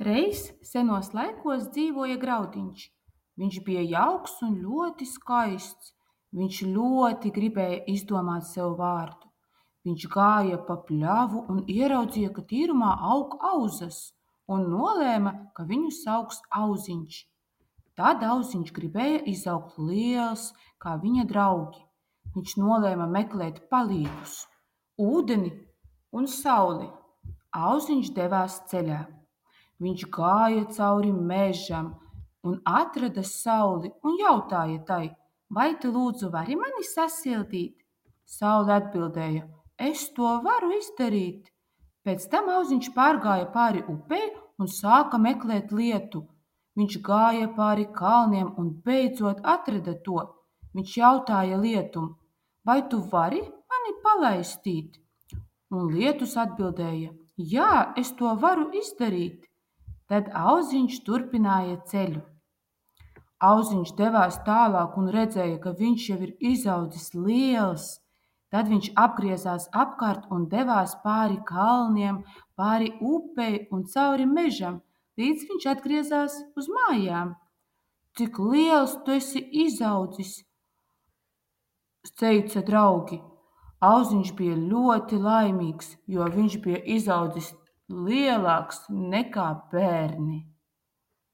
Reiz senos laikos dzīvoja Graudiņš. Viņš bija jauks un ļoti skaists. Viņš ļoti gribēja izdomāt sev vārdu. Viņš gāja pa pļavu un ieraudzīja, ka tīrumā aug auzas, un nolēma, ka viņu sauks Auziņš. Tad Auziņš gribēja izaugt liels, kā viņa draugi. Viņš nolēma meklēt palīgus, ūdeni un sauli. Auziņš devās ceļā. Viņš gāja cauri mežam un atrada sauli un jautāja tai: "Vai tu lūdzu vari mani sasildīt?" Saule atbildēja: "Es to varu izdarīt." Pēc tam Auziņš pārgāja pāri upei un sāka meklēt lietu. Viņš gāja pāri kalniem un beidzot atrada to. Viņš jautāja lietum: "Vai tu vari mani palaistīt?" Un lietus atbildēja: "Jā, es to varu izdarīt." Tad Auziņš turpināja ceļu. Auziņš devās tālāk un redzēja, ka viņš jau ir izaudzis liels. Tad viņš apgriezās apkārt un devās pāri kalniem, pāri upei un cauri mežam, līdz viņš atgriezās uz mājām. "Cik liels tu esi izaudzis!" teica draugi. Auziņš bija ļoti laimīgs, jo viņš bija izaudzis lielāks nekā bērni.